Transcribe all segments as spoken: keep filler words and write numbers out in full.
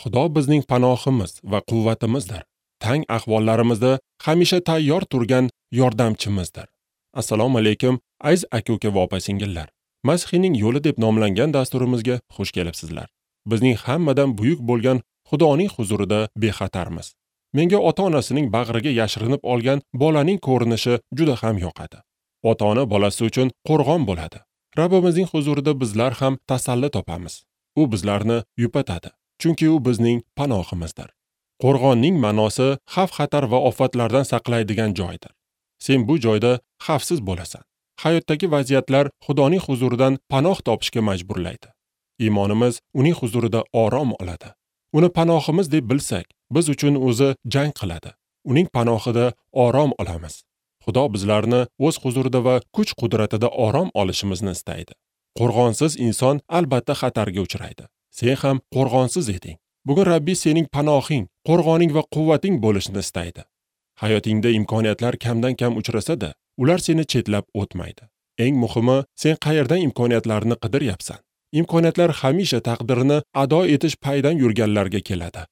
Xudo bizning panohimiz va quvvatimizdir. Tang ahvollarimizda hamisha tayyor turgan yordamchimizdir. Assalomu alaykum, aziz aka-uka va opa-singillar. Masihning yo'li deb nomlangan dasturimizga xush kelibsizlar. Bizning hammadan buyuk bo'lgan Xudoning huzurida bexatarmiz. Menga ota-onasining bag'riga yashirinib olgan bolaning ko'rinishi juda ham yoqadi. Ota-ona bolasi uchun qo'rg'on bo'ladi. Rabbimizning huzurida bizlar ham tasalli topamiz. U bizlarni yupatadi, chunki u bizning panohimizdir. Qo'rg'onning ma'nosi xavf-xatar va ofatlardan saqlaydigan joydir. Sen bu joyda xavfsiz bo'lasan. Hayotdagi vaziyatlar Xudoning huzuridan panoh topishga majburlaydi. Iymonimiz uning huzurida orom oladi. Uni panohimiz deb bilsak, biz uchun o'zi jang qiladi. Uning panohida orom olamiz. Xudo bizlarni o'z huzurida va kuch-qudratida orom olishimizni istaydi. Qo'rg'onsiz inson albatta xatarga uchraydi. Sen ham qo'rg'onsiz eding. Bugun Rabbi sening panohing, qo'rg'oning va quvvating bo'lishini istaydi. Hayotingda imkoniyatlar kamdan-kam uchrasa-da, ular seni chetlab o'tmaydi. Eng muhimi, sen qayerdan imkoniyatlarni qidiryapsan? Imkoniyatlar hamisha taqdirini ado etish paydan yurganlarga keladi.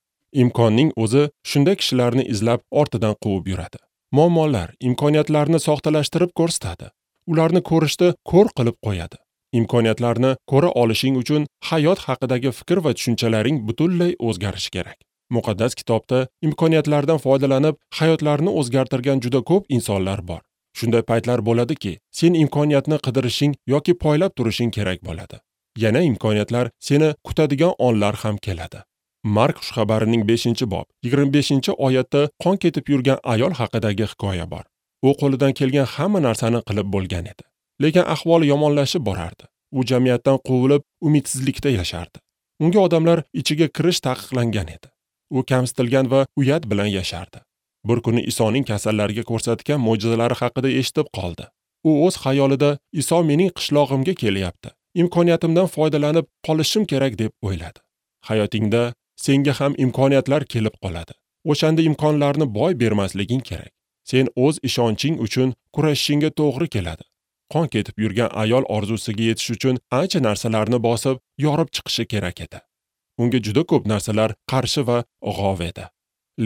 Imkonning o'zi shunday kishilarni izlab ortidan quvib yuradi. Muammolar imkoniyatlarni soxtalashtirib ko'rsatadi. Ularni ko'rishda ko'r qilib qo'yadi. Imkoniyatlarni ko'ra olishing uchun hayot haqidagi fikr va tushunchalaring butunlay o'zgarishi kerak. Muqaddas kitobda imkoniyatlardan foydalanib hayotlarini o'zgartirgan juda ko'p insonlar bor. Shunday paytlar bo'ladiki, sen imkoniyatni qidirishing yoki poylab turishing kerak bo'ladi. Yana imkoniyatlar seni kutadigan onlar ham keladi. Mark xushxabarining beshinchi bob yigirma beshinchi oyatda qon ketib yurgan ayol haqidagi hikoya bor. U qo'lidan kelgan hamma narsani qilib bo'lgan edi. Lekin ahvoli yomonlashib borardi. U jamiyatdan quvilib, umidsizlikda yashardi. Unga odamlar ichiga kirish taqiqlangan edi. U kamsitilgan va uyat bilan yashardi. Bir kuni Isoning kasallarga ko'rsatgan mo'jizalari haqida eshitib qoldi. U o'z xayolida Iso mening qishlog'imga kelyapti. Imkoniyatimdan foydalanib qolishim kerak deb o'yladi. Hayotingda senga ham imkoniyatlar kelib qoladi. O'shanda imkonlarni boy bermasliging kerak. Sen o'z ishonching uchun kurashishingga to'g'ri keladi. Qon ketib yurgan ayol orzusiga yetish uchun ancha narsalarni bosib, yorib chiqishi kerak edi. Unga juda ko'p narsalar qarshi va g'ov edi.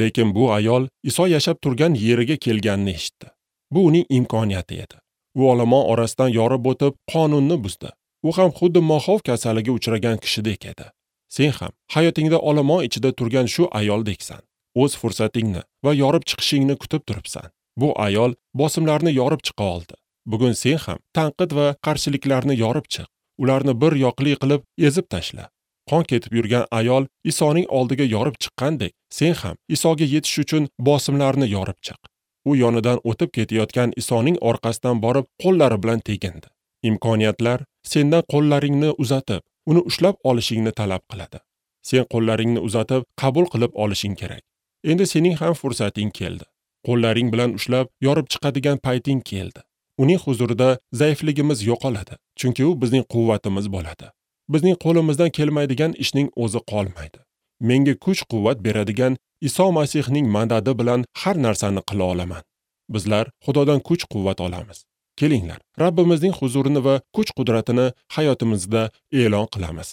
Lekin bu ayol Iso yashab turgan yeriga kelganini eshitdi. Bu uning imkoniyati edi. U olomon orasidan yorib o'tib, qonunni buzdi. U ham xuddi moxov kasaliga uchragan kishidek edi. Sen ham hayotingda olomon ichida turgan shu ayoldeksan. O'z fursatingni va yorib chiqishingni kutib turibsan. Bu ayol bosimlarni yorib chiqa oldi. Bugun sen ham tanqid va qarshiliklarni yorib chiq. Ularni bir yoqli qilib ezib tashla. Qon ketib yurgan ayol Isoning oldiga yorib chiqqandek, sen ham Isoga yetish uchun bosimlarni yorib chiq. U yonidan o'tib ketayotgan Isoning orqasidan borib, qo'llari bilan tegindi. Imkoniyatlar sendan qo'llaringni uzatib, uni ushlab olishingni talab qiladi. Sen qo'llaringni uzatib, qabul qilib olishing kerak. Endi sening ham fursating keldi. Qo'llaring bilan ushlab, yorib chiqadigan payting keldi. Uning huzurida zaifligimiz yo'qoladi, chunki u bizning quvvatimiz bo'ladi. Bizning qo'limizdan kelmaydigan ishning o'zi qolmaydi. Menga kuch-quvvat beradigan Iso Masihning madadi bilan har narsani qila olaman. Bizlar Xudodan kuch-quvvat olamiz. Kelinglar, Rabbimizning huzurini va kuch-qudratini hayotimizda e'lon qilamiz.